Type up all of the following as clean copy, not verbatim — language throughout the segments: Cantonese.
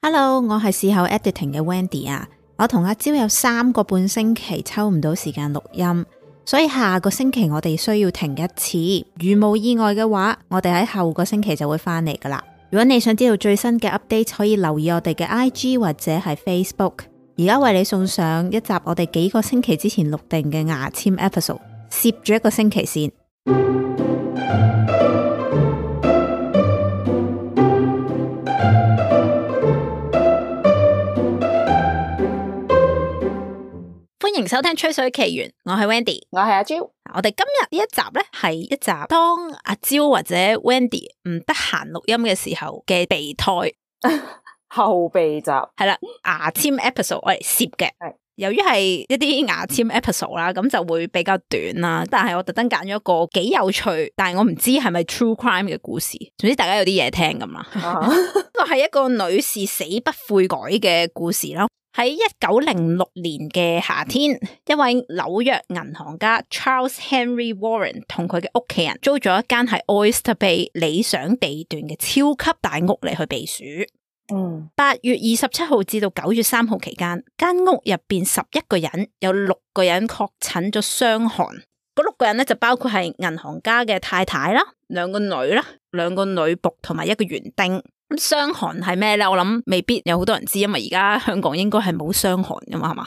Hello， 我係事後 editing 嘅 Wendy 啊，我同阿蕉有3個半星期抽唔到時間錄音，所以下個星期我哋需要停一次。如無意外嘅話，我哋喺後個星期就會翻嚟噶啦。如果你想知道最新嘅 update， 可以留意我哋嘅 IG 或者係 Facebook。而家為你送上一集我哋幾個星期之前錄定嘅牙籤 episode， 攝咗1個星期先。歡迎收聽吹水奇緣，我係 Wendy， 我係阿蕉。我哋今日呢一集呢，係一集當阿蕉或者 Wendy 唔得閒錄音嘅時候嘅備胎後備集係啦，牙籤 episode 我嚟攝嘅。由於係一啲牙籤 episode 啦，咁就會比較短啦。但係我特登揀咗一個幾有趣，但係我唔知係咪 true crime 嘅故事。總之大家有啲嘢聽咁啦。呢個係一個女士死不悔改嘅故事啦。喺1906年嘅夏天，一位紐約銀行家 Charles Henry Warren 同佢嘅屋企人租咗一間喺 Oyster Bay 理想地段嘅超級大屋嚟去避暑。8月27號至到9月3號期間，間屋入邊11個人，有6個人確診咗傷寒。嗰6個人咧就包括係銀行家嘅太太啦、2個女啦、2個女僕同埋1個園丁。咁傷寒係咩咧？我諗未必有好多人知，因為而家香港應該係冇傷寒噶嘛，係嘛？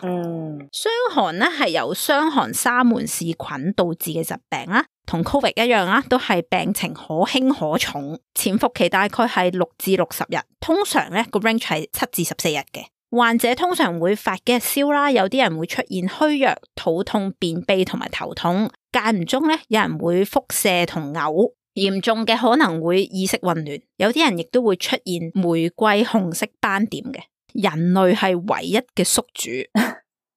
傷寒咧係由傷寒沙門氏菌導致嘅疾病啦，同 Covid 一樣啦，都係病情可輕可重，潛伏期大概係6至60日，通常咧個 range 係7至14日嘅。患者通常會發幾日燒啦，有啲人會出現虛弱、肚痛、便秘同埋頭痛，間唔中咧有人會腹瀉同嘔。嚴重嘅可能會意識混亂，有啲人亦都會出現玫瑰紅色斑點嘅。人類係唯一嘅宿主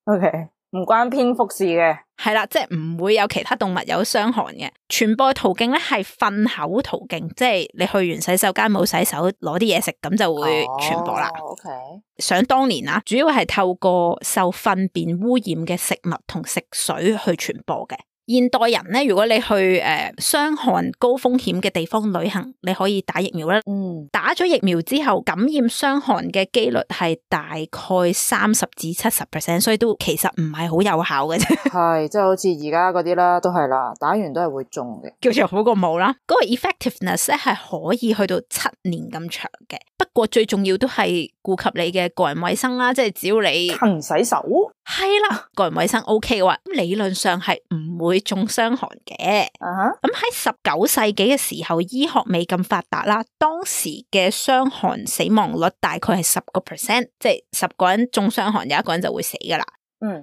，OK， 唔關蝙蝠事嘅，係啦，即係唔會有其他動物有傷寒嘅。傳播途徑咧係糞口途徑，即係你去完洗手間冇洗手，攞啲嘢食咁就會傳播啦。OK， 想當年啊，主要係透過受糞便污染嘅食物同食水去傳播嘅。現代人咧，如果你去傷寒高風險嘅地方旅行，你可以打疫苗啦。打咗疫苗之後，感染傷寒嘅幾率係大概30至70%，所以都其實唔係好有效嘅啫。係，即係好似而家嗰啲啦，都係啦，打完都係會中嘅，叫做好過冇啦。嗰個 effectiveness 咧係可以去到7年咁長嘅。不過最重要都係顧及你嘅個人衛生啦，即係只要你勤洗手，係啦，個人衛生 OK 嘅話，理論上係唔會中傷寒嘅。咁喺19世紀嘅時候，醫學未咁發達啦，當時嘅傷寒死亡率大概係10%，即係10個人中傷寒，有1個人就會死噶啦。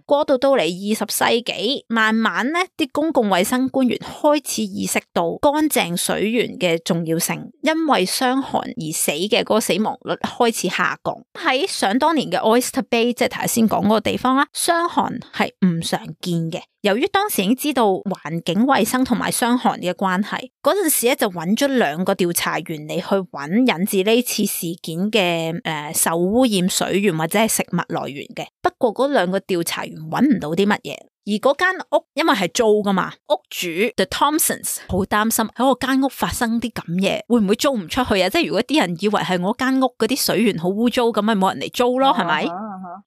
過渡到嚟20世紀，慢慢咧啲公共衛生官員開始意識到乾淨水源嘅重要性，因為傷寒而死嘅嗰個死亡率開始下降。喺想當年嘅 Oyster Bay， 即係頭先講嗰個地方啦，傷寒係唔常見嘅。由於當時已經知道環境衛生同埋傷寒嘅關係，嗰陣時咧就揾咗2個調查員嚟去揾引致呢次事件嘅受污染水源或者係食物來源嘅。不過嗰2個調查員揾唔到啲乜嘢，而嗰間屋因為係租噶嘛，屋主 The Thompsons 好擔心喺我間屋發生啲咁嘢，會唔會租唔出去啊？即係如果啲人以為係我間屋嗰啲水源好污糟，咁咪冇人嚟租咯，係咪？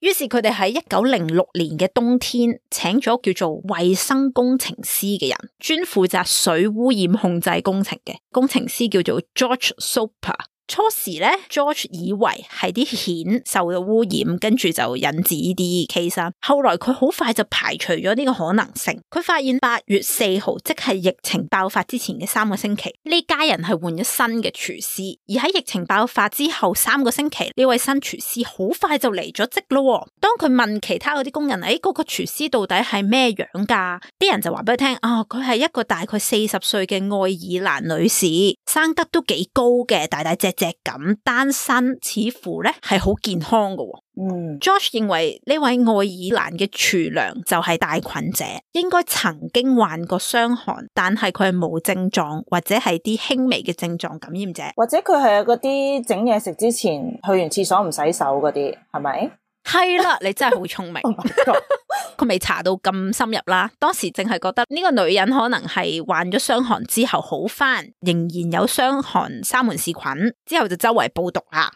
於是佢哋喺1906年嘅冬天，請咗叫做衛生工程師嘅人，專負責水污染控制工程嘅工程師叫做 George Soper。初時咧 George 以為係啲蜆受到污染，跟住就引致呢啲 case。後來佢好快就排除咗呢個可能性。佢發現8月4號，即係疫情爆發之前嘅3個星期，呢家人係換咗新嘅廚師。而喺疫情爆發之後3個星期，呢位新廚師好快就離咗職咯。當佢問其他嗰啲工人，嗰個廚師到底係咩樣噶？啲人就話俾佢聽，佢係一個大概40歲嘅愛爾蘭女士，生得都幾高嘅，大大隻隻咁，單身，似乎咧係好健康嘅。George 認為呢位愛爾蘭嘅廚娘就係帶菌者，應該曾經患過傷寒，但係佢係冇症狀或者係啲輕微嘅症狀感染者，或者佢係嗰啲整嘢食之前去完廁所唔洗手嗰啲，係咪？係啦，你真係好聰明。佢未查到咁深入啦，當時淨係覺得呢個女人可能係患咗傷寒之後好返，仍然有傷寒沙門氏菌，之後就周圍報毒啦。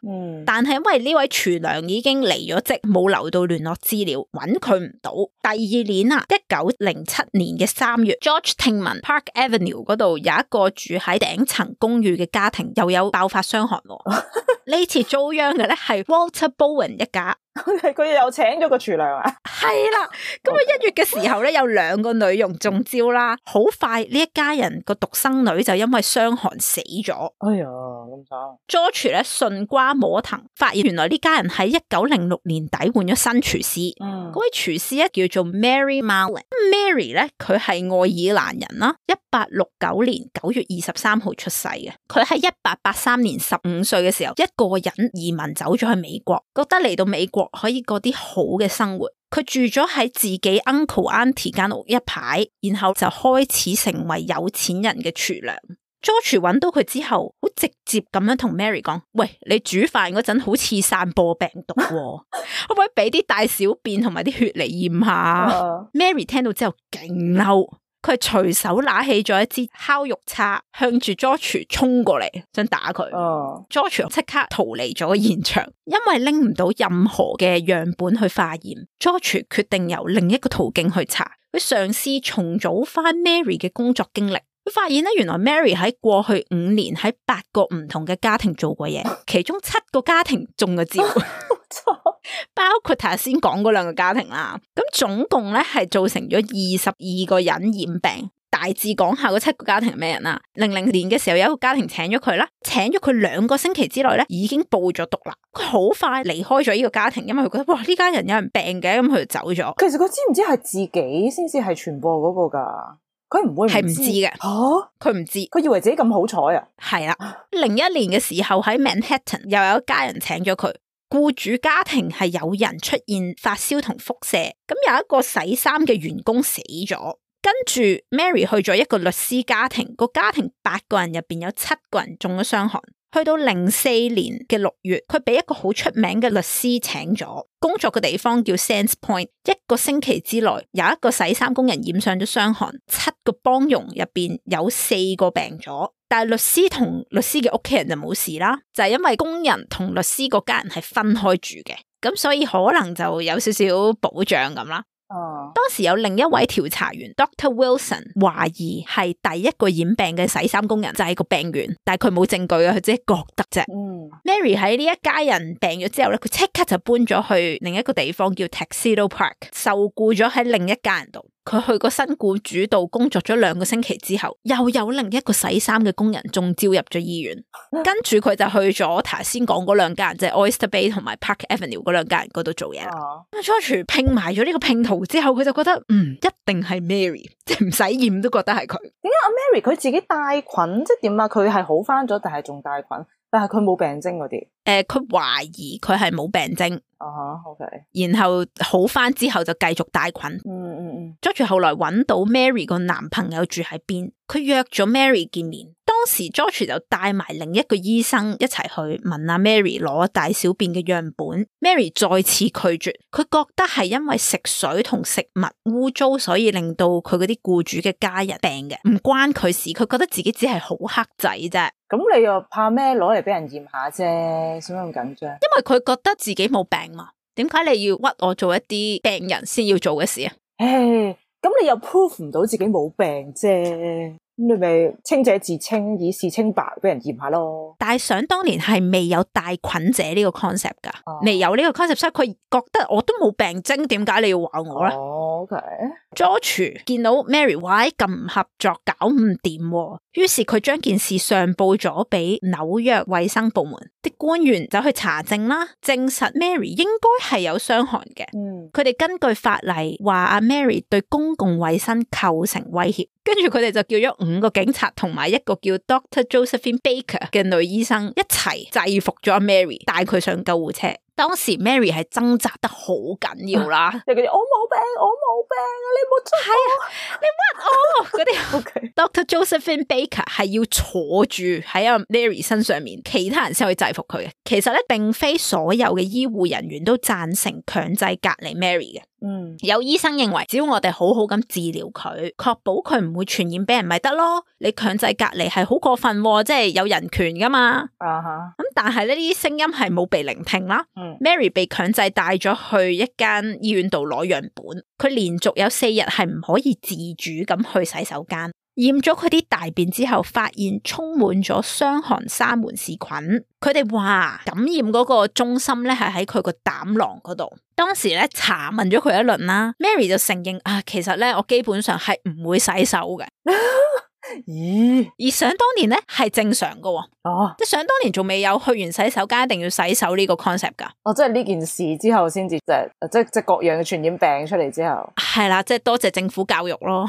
但係因為呢位廚娘已經離咗職，冇留到聯絡資料，揾佢唔到。第二年啊，1907年嘅3月 ，George 聽聞 Park Avenue 嗰度有一個住喺頂層公寓嘅家庭又有爆發傷寒。呢次遭殃嘅咧係 Walter Bowen 一家。佢又請咗個廚娘啊？係啦，咁啊1月嘅時候咧，有2個女傭中招啦，好快呢一家人個獨生女就因為傷寒死咗。哎呀，咁慘。George 咧順瓜摸藤，發現原來呢家人喺1906年底換咗新廚師。嗰位廚師咧叫做 Mary Mallon。Mary 咧佢係愛爾蘭人啦，1869年9月23號出世嘅。佢喺1883年15歲嘅時候，一個人移民走咗去美國，覺得嚟到美國可以過啲好嘅生活，佢住咗喺自己 uncle auntie 間屋一排，然後就開始成為有錢人嘅廚娘。George 揾到佢之後，好直接咁樣同 Mary 講：喂，你煮飯嗰陣好似散播病毒喎，可唔可以俾啲大小便同埋啲血嚟驗下？Mary 聽到之後勁嬲。佢隨手拿起咗一支烤肉叉，向住 George 衝過嚟，想打佢。George 即刻逃離咗現場，因為拎唔到任何嘅樣本去化驗。George 決定由另一個途徑去查，佢嘗試重組翻 Mary 嘅工作經歷。佢發現咧，原來 Mary 喺過去5年喺8個唔同嘅家庭做過嘢，其中7個家庭中咗招。包括頭先講嗰2個家庭啦，咁總共咧係造成咗22個人染病。大致講下嗰7個家庭係咩人啦？00年嘅時候有一個家庭請咗佢啦，請咗佢2個星期之內咧已經報咗毒啦。佢好快離開咗呢個家庭，因為佢覺得哇呢家人有人病嘅，咁佢就走咗。其實佢知唔知係自己先至係傳播嗰個噶？佢唔會係唔知嘅。佢唔知，佢以為自己咁好彩啊？係啦，01年嘅時候喺 Manhattan 又有一家人請咗佢。僱主家庭係有人出現發燒同腹瀉，咁有一個洗衫嘅員工死咗，跟住 Mary 去咗一個律師家庭，個家庭8個人入邊有7個人中咗傷寒。去到04年嘅6月，佢俾一個好出名嘅律師請咗，工作嘅地方叫 Sands Point。1個星期之內，有一個洗衫工人染上咗傷寒，7個幫傭入邊有4個病咗。但係律師同律師嘅屋企人就冇事啦，就係因為工人同律師嗰家人係分開住嘅，咁所以可能就有少少保障咁啦。當時有另一位調查員 Dr. Wilson 懷疑係第一個染病嘅洗衫工人就係個病源，但係佢冇證據啊，佢自己覺得啫。Mary 喺呢一家人病咗之後咧，佢即刻就搬咗去另一個地方叫 Tuxedo Park， 受僱咗喺另一家人度。佢去個新僱主度工作咗2個星期之後，又有另一個洗衫嘅工人中招入咗醫院，跟住佢就去咗頭先講嗰2家人，即係 Oyster Bay 同埋 Park Avenue 嗰2家人嗰度做嘢啦。George 拼埋咗呢個拼圖之後，佢就覺得一定係 Mary， 即係唔使驗都覺得係佢。點解阿 Mary 佢自己帶菌，即係點啊？佢係好翻咗，但係仲帶菌，但係佢冇病徵嗰啲。佢懷疑佢係冇病徵。OK。然後好翻之後就繼續帶菌。George 後來揾到 Mary 個男朋友住喺邊，佢約咗 Mary 見面。當時 George 就帶埋另一個醫生一齊去問阿 Mary 攞大小便嘅樣本。Mary 再次拒絕，佢覺得係因為食水同食物污糟，所以令到佢嗰啲僱主嘅家人病嘅，唔關佢事。佢覺得自己只係好黑仔啫。咁你又怕咩？攞嚟俾人驗下啫，使乜咁緊張？因為佢覺得自己冇病嘛。點解你要屈我做一啲病人先要做嘅事啊？咁你又 prove 唔到自己冇病啫，咁你咪清者自清，以示清白，俾人驗下咯。但係想當年係未有帶菌者呢個 concept 噶，未有呢個 concept， 所以佢覺得我都冇病徵，點解你要話我咧？George 見到 Mary 話咁唔合作，搞唔掂，於是佢將件事上報咗俾紐約衛生部門，啲官員走去查證啦，證實 Mary 應該係有傷寒嘅。佢哋根據法例話阿 Mary 對公共衛生構成威脅，跟住佢哋就叫咗5個警察同埋一個叫 Dr. Josephine Baker 嘅女醫生一齊制服咗阿 Mary， 帶佢上救護車。當時 Mary 係掙扎得好緊要啦，即係嗰啲我冇病啊，你冇捉我，你屈我嗰啲。Dr. Josephine Baker 係要坐住喺阿 Mary 身上面，其他人先可以制服佢嘅。其實咧，並非所有嘅醫護人員都贊成強制隔離 Mary 嘅。有醫生認為只要我哋好好咁治療佢，確保佢唔會傳染俾人咪得咯。你強制隔離係好過分，即係有人權噶嘛。咁但係呢啲聲音係冇被聆聽啦。Mary 被強制帶咗去一間醫院度攞樣本，佢連續有4日係唔可以自主咁去洗手間。驗咗佢啲大便之後，發現充滿咗傷寒沙門氏菌。佢哋話感染嗰個中心咧係喺佢個膽囊嗰度。當時咧查問咗佢一輪啦 ，Mary 就承認其實咧我基本上係唔會洗手嘅。咦？而想當年咧係正常噶，即係想當年仲未有去完洗手間一定要洗手呢個 concept 噶。即係呢件事之後先至即各樣嘅傳染病出嚟之後，係啦，即係多謝政府教育咯。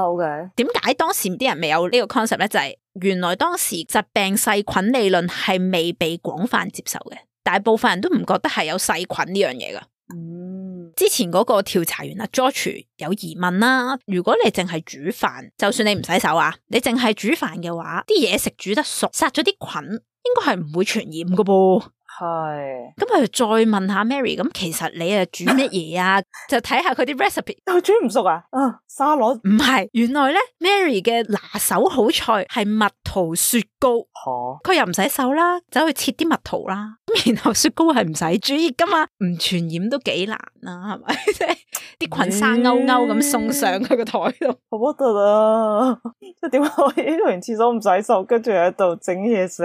OK。點解當時啲人未有呢個 concept 咧？就係原來當時疾病細菌理論係未被廣泛接受嘅，大部分人都唔覺得係有細菌呢樣嘢噶。之前嗰個調查員George 有疑問啦，如果你淨係煮飯，就算你唔洗手你淨係煮飯嘅話，啲嘢食煮得熟，殺咗啲菌，應該係唔會傳染噶噃。係，咁佢就再問下 Mary， 咁其實你煮乜嘢啊？就睇下佢啲 recipe， 又煮唔熟啊？沙律唔係，原來咧 Mary 嘅拿手好菜係蜜桃雪糕。佢又唔洗手啦，走去切啲蜜桃啦，然後雪糕係唔使煮熱噶嘛，唔傳染都幾難啦，係咪？即係啲菌生勾勾咁送上佢個台度，好核突啊！即係點解可以去完廁所唔洗手，跟住喺度整嘢食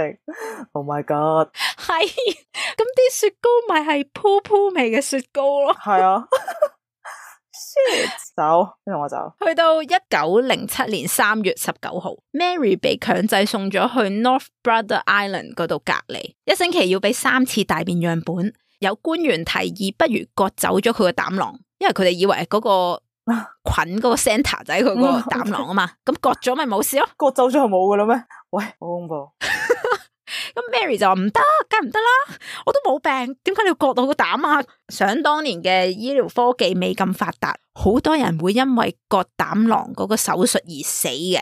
？Oh my god！ 係，咁啲雪糕咪係噗噗味嘅雪糕咯。係啊。走，跟住我走。去到1907年3月19號 ，Mary 被強制送咗去 North Brother Island 嗰度隔離，1星期要俾3次大便樣本。有官員提議不如割走咗佢個膽囊，因為佢哋以為嗰個菌嗰個 center 就喺佢個膽囊啊嘛，咁割咗咪冇事咯。割走咗就冇噶啦咩？喂，好恐怖！咁 Mary 就話唔得，梗係唔得啦，我都冇病，點解你要割到個膽啊？想當年嘅醫療科技未咁發達，好多人會因為割膽囊嗰個手術而死嘅，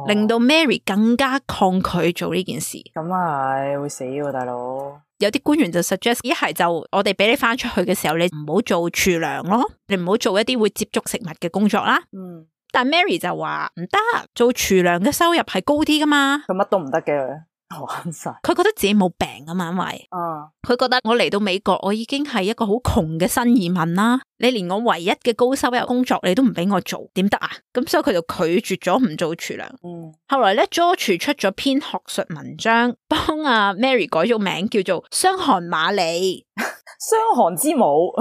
令到 Mary 更加抗拒做呢件事。咁係會死喎，大佬。有啲官員就 suggest 一係就我哋俾你翻出去嘅時候，你唔好做廚娘咯，你唔好做一啲會接觸食物嘅工作啦。但 Mary 就話唔得，做廚娘嘅收入係高啲噶嘛，佢乜都唔得嘅。佢覺得自己冇病啊嘛，因為佢覺得我嚟到美國，我已經係一個好窮嘅新移民啦，你連我唯一嘅高收入工作你都唔俾我做，點得啊？咁所以佢就拒絕咗唔做廚娘。後來咧 George 出咗篇學術文章，幫Mary 改咗名叫做傷寒瑪莉。傷寒之母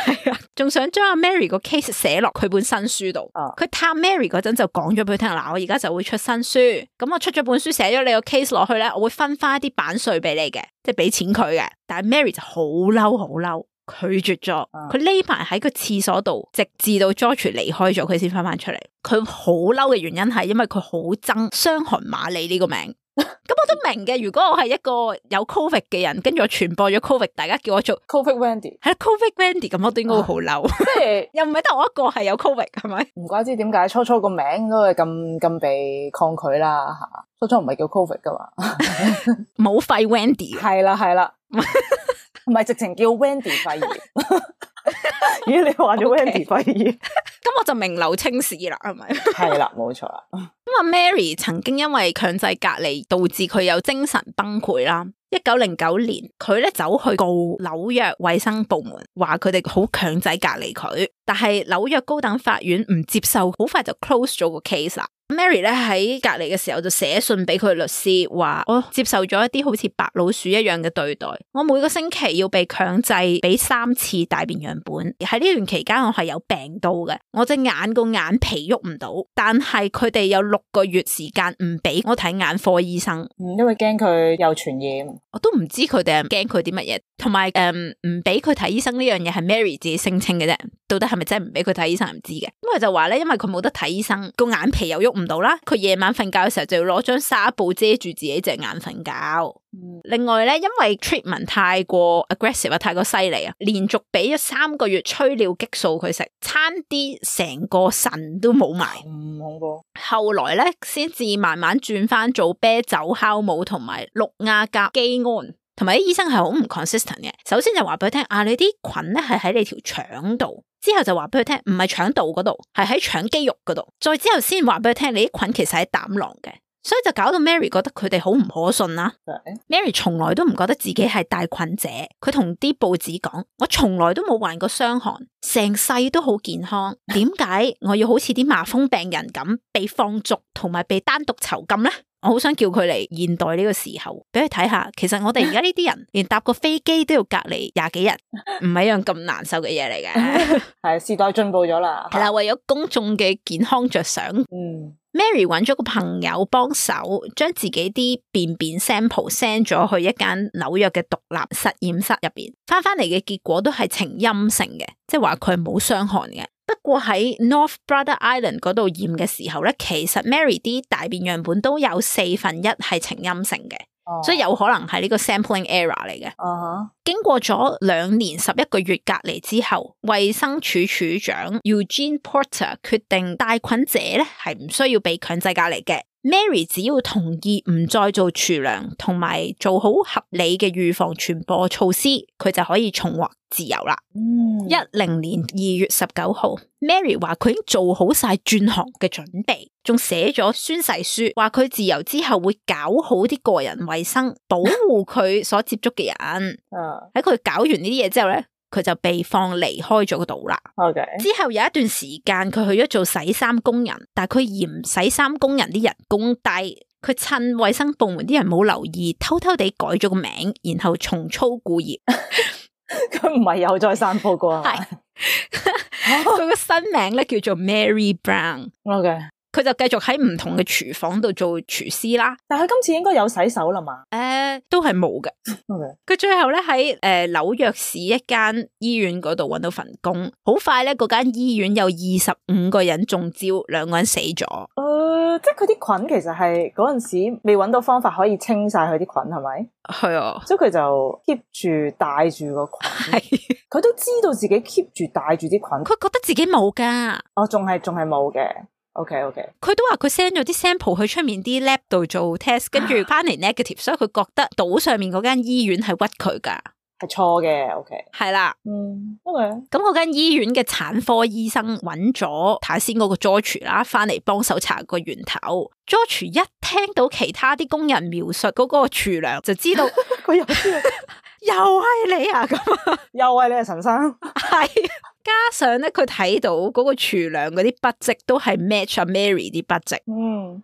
係啊，仲想將Mary 個 case 寫落佢本新書度。佢探 Mary 嗰陣就講咗俾佢聽，嗱，我而家就會出新書，咁我出咗本書寫咗你個 case 落去咧，我會分翻一啲版稅俾你嘅，即係俾錢佢嘅。但係 Mary 就好嬲好嬲，拒絕咗。佢匿埋喺個廁所度，直至到 George 離開咗，佢先翻翻出嚟。佢好嬲嘅原因係因為佢好憎傷寒瑪莉呢個名。咁我都明嘅，如果我係一個有 Covid 嘅人，跟住我傳播咗 Covid， 大家叫我做 Covid Wendy， 係 Covid Wendy， 咁我都應該會好嬲。即係又唔係得我一個係有 Covid， 係咪？唔怪知點解初初個名都係咁被抗拒啦吓，初初唔係叫 Covid 噶嘛，冇肺 Wendy， 係啦，唔係直情叫 Wendy 肺炎。咦，你話咗 Wendy 肺炎，咁我就名留青史啦，係咪？係啦，冇錯啦。Mary 曾經因為強制隔離導致佢有精神崩潰啦。1909年，佢咧走去告紐約衛生部門，話佢哋好強制隔離佢，但係紐約高等法院唔接受，好快就 close 咗個 case 啦。Mary 咧喺隔離嘅時候就寫信俾佢律師，話我接受咗一啲好似白老鼠一樣嘅對待，我每個星期要被強制俾3次大便樣本，喺呢段期間我係有病到嘅，我隻眼個眼皮喐唔到，但係佢哋有6個月時間唔俾我睇眼科醫生，因為驚佢有傳染。我都唔知佢哋係驚佢啲乜嘢，同埋唔俾佢睇醫生呢樣嘢係 Mary 自己聲稱嘅啫，到底係咪真係唔俾佢睇醫生唔知嘅。咁佢就話咧，因為佢冇得睇醫生，個眼皮又喐唔到啦，佢夜晚瞓覺嘅時候就要攞張紗布遮住自己隻眼瞓覺。另外咧，因為 treatment 太過 aggressive 啊，太過犀利啊，連續俾咗3個月催尿激素佢食，差啲成個腎都冇埋。恐怖。後來咧，先至慢慢轉翻做啤酒酵母同埋氯亞甲基胺。同埋啲醫生係好唔 consistent 嘅，首先就話俾佢聽，你啲菌咧係喺你條腸度，之後就話俾佢聽，唔係腸道嗰度，係喺腸肌肉嗰度。再之後先話俾佢聽，你啲菌其實喺膽囊嘅。所以就搞到 Mary 覺得佢哋好唔可信啦。Mary 從來都唔覺得自己係帶菌者，佢同啲報紙講：我從來都冇患過傷寒，成世都好健康，點解我要好似啲麻風病人咁被放逐同埋被單獨囚禁呢？我好想叫佢嚟現代呢個時候，俾佢睇下，其實我哋而家呢啲人連搭個飛機都要隔離20幾日，唔係一樣咁難受嘅嘢嚟嘅。係時代進步咗啦，係啦，為咗公眾嘅健康着想。Mary 揾咗個朋友幫手，將自己啲便便 sample send 咗去一間紐約嘅獨立實驗室入邊，翻嚟嘅結果都係呈陰性嘅，即係話佢係冇傷寒嘅。不過喺 North Brother Island 嗰度驗嘅時候咧，其實 Mary 啲大便樣本都有1/4係呈陰性嘅。所以有可能係呢個 sampling error 嚟嘅。經過咗2年11個月隔離之後，衛生署署長 Eugene Porter 決定帶菌者咧係唔需要被強制隔離嘅。Mary 只要同意唔再做廚娘，同埋做好合理嘅預防傳播措施，佢就可以重獲自由啦。10年2月19號 Mary 話佢已經做好晒轉行嘅準備，仲寫咗宣誓書，話佢自由之後會搞好啲個人衛生，保護佢所接觸嘅人。喺佢搞完呢啲嘢之後咧，佢就被放離開咗個島啦。之後有一段時間佢去咗做洗衫工人，但係佢嫌洗衫工人啲人工低，佢趁衛生部門啲人冇留意，偷偷地改咗個名，然後重操故業。佢唔係又再散播過係咪？佢個新名咧叫做 Mary Brown。佢就繼續喺唔同嘅廚房度做廚師啦。但係佢今次應該有洗手啦嘛？都係冇嘅。佢最後咧喺紐約市一間醫院嗰度搵到份工，好快咧嗰間醫院有25個人中招，2個人死咗。即係佢啲菌其實係嗰陣時未搵到方法可以清晒佢啲菌，係咪？係啊，所以佢就 keep 住帶住個菌。佢都知道自己 keep 住帶住啲菌，佢覺得自己冇噶。仲係冇嘅。OK， 佢都話佢 send 咗啲 sample 去出面啲 lab 度做 test， 跟住翻嚟 negative， 所以佢覺得島上面嗰間醫院係屈佢噶，係錯嘅。OK，係啦，OK。咁嗰間醫院嘅產科醫生揾咗頭先嗰個 George 啦，翻嚟幫手查個源頭。George 一聽到其他啲工人描述嗰個廚娘，就知道佢又知道又係你啊，咁又係你啊，陳生。係。加上咧，佢睇到嗰個廚娘嗰啲筆跡都係 match 阿 Mary 啲筆跡。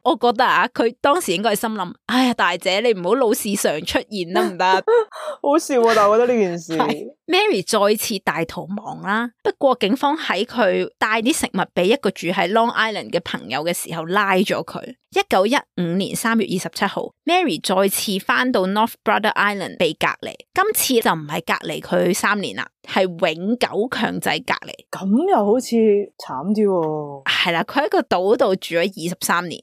我覺得啊，佢當時應該係心諗：哎呀，大姐，你唔好老是常出現得唔得？好笑啊！但係我覺得呢件事，Mary 再次大逃亡啦。不過警方喺佢帶啲食物俾一個住喺 Long Island 嘅朋友嘅時候拉咗佢。1915年3月27號 Mary 再次翻到 North Brother Island 被隔離，今次就唔係隔離佢3年啦，係永久強制隔離。咁又好似慘啲喎。係啦，佢喺個島度住咗23年。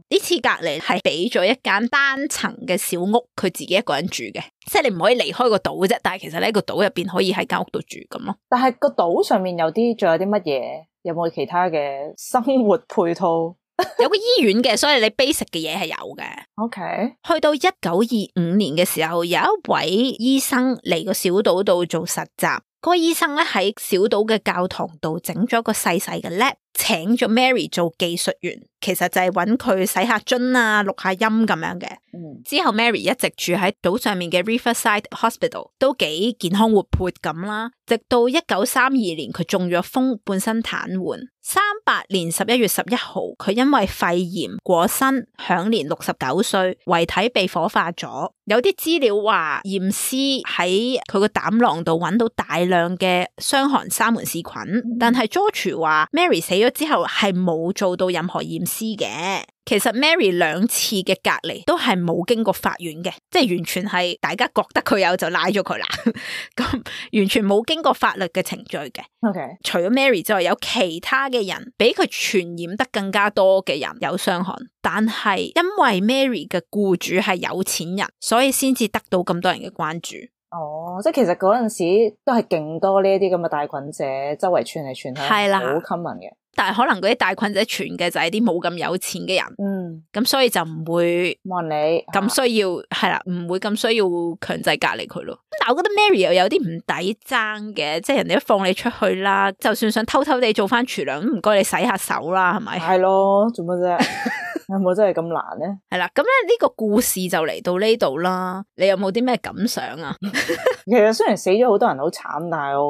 呢次隔離係俾咗一間單層嘅小屋，佢自己一個人住嘅，即係你唔可以離開個島啫。但係其實呢個島入邊可以喺間屋度住咁咯。但係個島上面仲有啲乜嘢？有冇其他嘅生活配套？有個醫院嘅，所以你 basic 嘅嘢係有嘅。OK， 去到1925年嘅時候，有一位醫生嚟個小島度做實習。嗰個醫生咧喺小島嘅教堂度整咗個細細嘅 lab，請咗 Mary 做技術員，其實就係揾佢洗下樽啊、錄下音咁樣嘅。之後 Mary 一直住喺島上面嘅 Riverside Hospital， 都幾健康活潑咁啦。直到1932年佢中咗風，半身癱瘓。38年11月11號，佢因為肺炎過身，享年69歲，遺體被火化咗。有啲資料話驗屍喺佢個膽囊度揾到大量嘅傷寒沙門氏菌，但係 George 話 Mary 死咗之後係冇做到任何驗屍嘅。其實 Mary 2次嘅隔離都係冇經過法院嘅，即係完全係大家覺得佢有就拉咗佢啦，咁完全冇經過法律嘅程序嘅。Okay. 除咗 Mary 之外，有其他嘅人比佢傳染得更加多嘅人有傷寒，但係因為 Mary 嘅僱主係有錢人，所以先至得到咁多人嘅關注。即係其實嗰陣時都係勁多呢一啲咁嘅帶菌者周圍傳嚟傳去，係啦，好 common 嘅。但係可能嗰啲帶菌者傳嘅就係啲冇咁有錢嘅人，咁所以就唔會冇人理，咁需要係啦，唔會咁需要強制隔離佢咯。但我覺得 Mary 又有啲唔抵爭嘅，即係人哋都放你出去啦，就算想偷偷地做翻廚娘，唔該你洗下手啦，係咪？係咯，做乜啫？有冇真係咁難咧？係啦，咁咧呢個故事就嚟到呢度啦。你有冇啲咩感想啊？其實雖然死咗好多人好慘，但係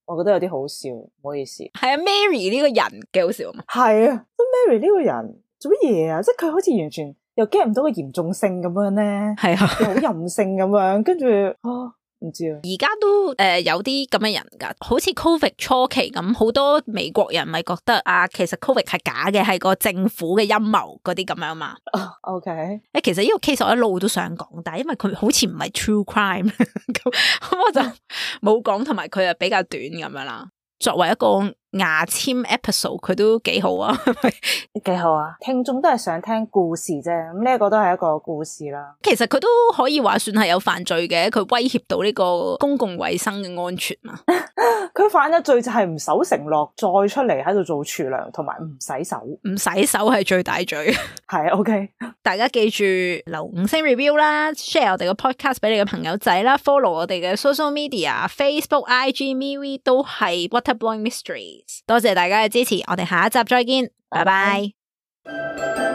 我覺得有啲好笑，唔好意思。係啊 ，Mary 呢個人幾好笑啊嘛。係啊，咁 Mary 呢個人做乜嘢啊？即係佢好似完全又 get 唔到個嚴重性咁樣咧，係啊，又好任性咁樣，跟住唔知啊。而家都有啲咁嘅人噶，好似 Covid 初期咁，好多美國人咪覺得啊，其實 Covid 係假嘅，係個政府嘅陰謀嗰啲咁樣嘛。OK，其實呢個 case 我一路都想講，但係因為佢好似唔係 true crime，咁我就冇講，同埋佢又比較短咁樣啦。作為一個牙籤 episode， 佢都幾好啊，幾好啊！聽眾都係想聽故事啫，咁呢一個都係一個故事啦。其實佢都可以話算係有犯罪嘅，佢威脅到呢個公共衛生嘅安全嘛。佢犯嘅罪就係唔守承諾，再出嚟喺度做廚娘，同埋唔洗手。唔洗手係最大罪。係 OK， 大家記住留5星 review 啦 ，share 我哋嘅 podcast 俾你嘅朋友仔啦 ，follow 我哋嘅 social media，Facebook、IG、MeWe 都係 Waterblowing Mysteries。多謝大家嘅支持，我哋下一集再見，拜拜。